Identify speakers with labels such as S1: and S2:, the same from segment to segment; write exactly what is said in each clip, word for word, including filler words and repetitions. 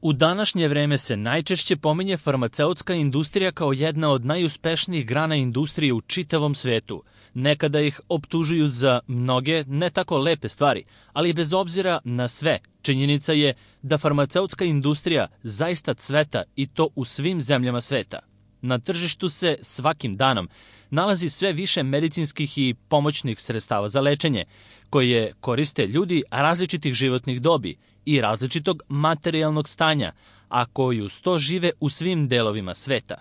S1: U današnje vreme se najčešće pominje farmaceutska industrija kao jedna od najuspešnijih grana industrije u čitavom svetu. Nekada ih optužuju za mnoge ne tako lepe stvari, ali bez obzira na sve, činjenica je da farmaceutska industrija zaista cveta i to u svim zemljama sveta. Na tržištu se svakim danom nalazi sve više medicinskih i pomoćnih sredstava za lečenje, koje koriste ljudi različitih životnih dobi i različitog materijalnog stanja, a koji uz to žive u svim delovima sveta.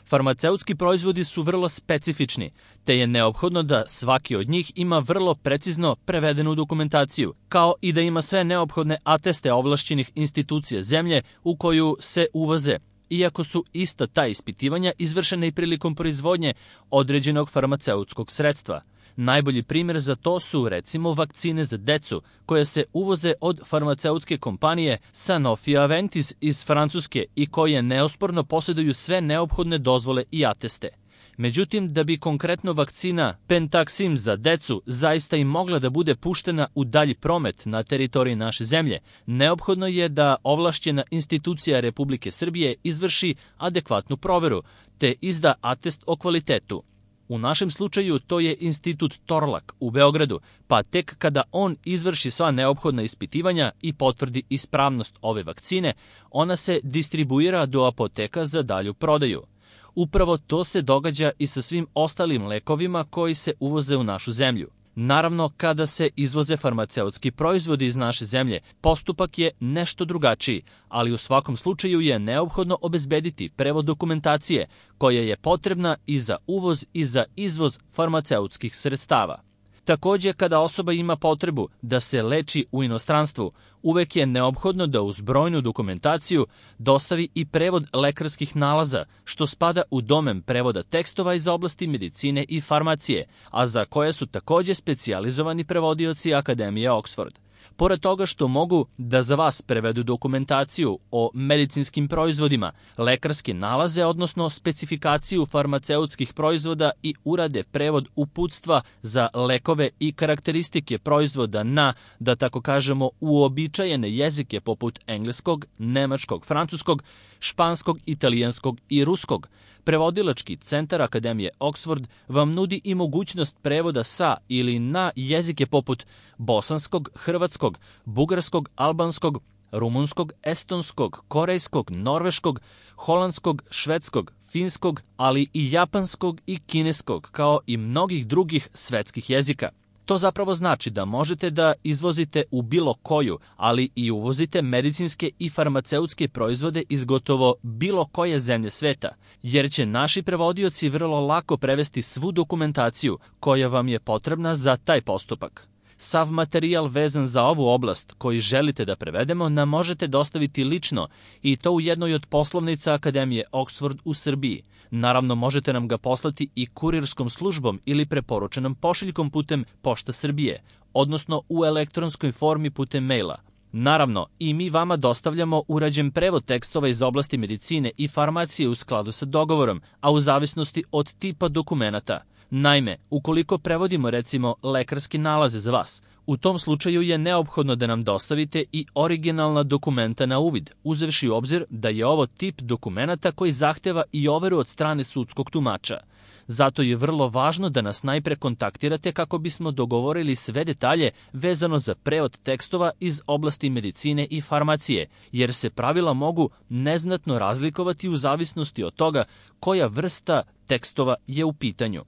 S1: Farmaceutski proizvodi su vrlo specifični, te je neophodno da svaki od njih ima vrlo precizno prevedenu dokumentaciju, kao i da ima sve neophodne ateste ovlašćenih institucija zemlje u koju se uvoze, iako su ista ta ispitivanja izvršena i prilikom proizvodnje određenog farmaceutskog sredstva. Najbolji primjer za to su recimo vakcine za decu koje se uvoze od farmaceutske kompanije Sanofi Aventis iz Francuske i koje neosporno posjeduju sve neophodne dozvole i ateste. Međutim, da bi konkretno vakcina Pentaxim za decu zaista i mogla da bude puštena u dalji promet na teritoriji naše zemlje, neophodno je da ovlašćena institucija Republike Srbije izvrši adekvatnu proveru, te izda atest o kvalitetu. U našem slučaju to je Institut Torlak u Beogradu, pa tek kada on izvrši sva neophodna ispitivanja i potvrdi ispravnost ove vakcine, ona se distribuira do apoteka za dalju prodaju. Upravo to se događa i sa svim ostalim lekovima koji se uvoze u našu zemlju. Naravno, kada se izvoze farmaceutski proizvodi iz naše zemlje, postupak je nešto drugačiji, ali u svakom slučaju je neophodno obezbediti prevod dokumentacije koja je potrebna i za uvoz i za izvoz farmaceutskih sredstava. Takođe, kada osoba ima potrebu da se leči u inostranstvu, uvek je neophodno da uz brojnu dokumentaciju dostavi i prevod lekarskih nalaza, što spada u domen prevoda tekstova iz oblasti medicine i farmacije, a za koje su takođe specijalizovani prevodioci Akademije Oxford. Pored toga što mogu da za vas prevedu dokumentaciju o medicinskim proizvodima, lekarske nalaze, odnosno specifikaciju farmaceutskih proizvoda i urade prevod uputstva za lekove i karakteristike proizvoda na, da tako kažemo, uobičajene jezike poput engleskog, nemačkog, francuskog, španskog, italijanskog i ruskog, Prevodilački centar Akademije Oxford vam nudi i mogućnost prevoda sa ili na jezike poput bosanskog, hrvatskog, bugarskog, albanskog, rumunskog, estonskog, korejskog, norveškog, holandskog, švedskog, finskog, ali i japanskog i kineskog, kao i mnogih drugih svetskih jezika. To zapravo znači da možete da izvozite u bilo koju, ali i uvozite medicinske i farmaceutske proizvode iz gotovo bilo koje zemlje sveta, jer će naši prevodioci vrlo lako prevesti svu dokumentaciju koja vam je potrebna za taj postupak. Sav materijal vezan za ovu oblast koji želite da prevedemo nam možete dostaviti lično i to u jednoj od poslovnica Akademije Oxford u Srbiji. Naravno, možete nam ga poslati i kurirskom službom ili preporučenom pošiljkom putem Pošta Srbije, odnosno u elektronskoj formi putem maila. Naravno, i mi vama dostavljamo urađen prevod tekstova iz oblasti medicine i farmacije u skladu sa dogovorom, a u zavisnosti od tipa dokumenata. Naime, ukoliko prevodimo recimo lekarske nalaze za vas, u tom slučaju je neophodno da nam dostavite i originalna dokumenta na uvid, uzevši u obzir da je ovo tip dokumenata koji zahteva i overu od strane sudskog tumača. Zato je vrlo važno da nas najpre kontaktirate kako bismo dogovorili sve detalje vezano za prevod tekstova iz oblasti medicine i farmacije, jer se pravila mogu neznatno razlikovati u zavisnosti od toga koja vrsta tekstova je u pitanju.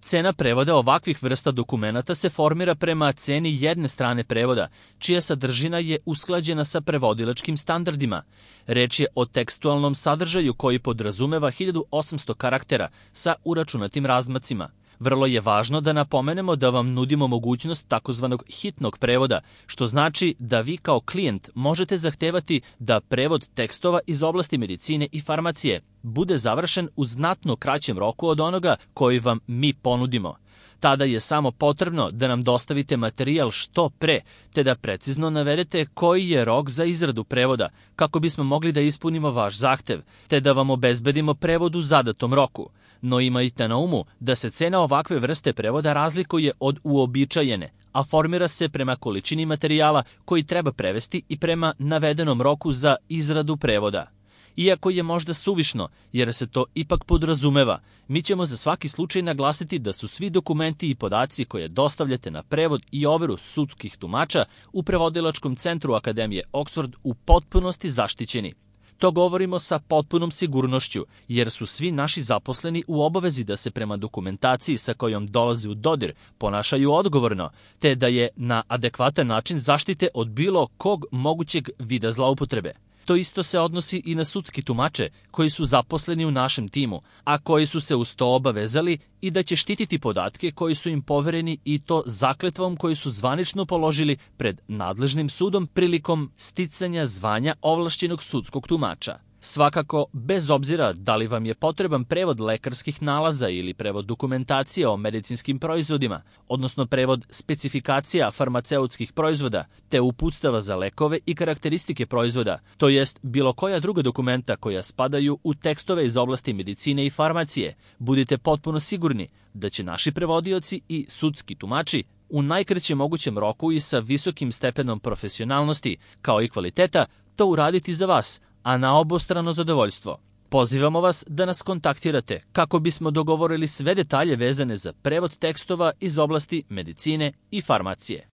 S1: Cena prevoda ovakvih vrsta dokumenata se formira prema ceni jedne strane prevoda, čija sadržina je usklađena sa prevodilačkim standardima. Reč je o tekstualnom sadržaju koji podrazumeva hiljadu osamsto karaktera sa uračunatim razmacima. Vrlo je važno da napomenemo da vam nudimo mogućnost takozvanog hitnog prevoda, što znači da vi kao klijent možete zahtevati da prevod tekstova iz oblasti medicine i farmacije bude završen u znatno kraćem roku od onoga koji vam mi ponudimo. Tada je samo potrebno da nam dostavite materijal što pre, te da precizno navedete koji je rok za izradu prevoda, kako bismo mogli da ispunimo vaš zahtev, te da vam obezbedimo prevod u zadatom roku. No imajte na umu da se cena ovakve vrste prevoda razlikuje od uobičajene, a formira se prema količini materijala koji treba prevesti i prema navedenom roku za izradu prevoda. Iako je možda suvišno, jer se to ipak podrazumeva, mi ćemo za svaki slučaj naglasiti da su svi dokumenti i podaci koje dostavljate na prevod i overu sudskih tumača u Prevodilačkom centru Akademije Oxford u potpunosti zaštićeni. To govorimo sa potpunom sigurnošću, jer su svi naši zaposleni u obavezi da se prema dokumentaciji sa kojom dolaze u dodir ponašaju odgovorno, te da je na adekvatan način zaštite od bilo kog mogućeg vida zloupotrebe. To isto se odnosi i na sudski tumače koji su zaposleni u našem timu, a koji su se uz to obavezali i da će štititi podatke koji su im povereni i to zakletvom koju su zvanično položili pred nadležnim sudom prilikom sticanja zvanja ovlašćenog sudskog tumača. Svakako, bez obzira da li vam je potreban prevod lekarskih nalaza ili prevod dokumentacije o medicinskim proizvodima, odnosno prevod specifikacija farmaceutskih proizvoda, te uputstava za lekove i karakteristike proizvoda, to jest bilo koja druga dokumenta koja spadaju u tekstove iz oblasti medicine i farmacije, budite potpuno sigurni da će naši prevodioci i sudski tumači u najkraćem mogućem roku i sa visokim stepenom profesionalnosti, kao i kvaliteta, to uraditi za vas, a na obostrano zadovoljstvo. Pozivamo vas da nas kontaktirate kako bismo dogovorili sve detalje vezane za prevod tekstova iz oblasti medicine i farmacije.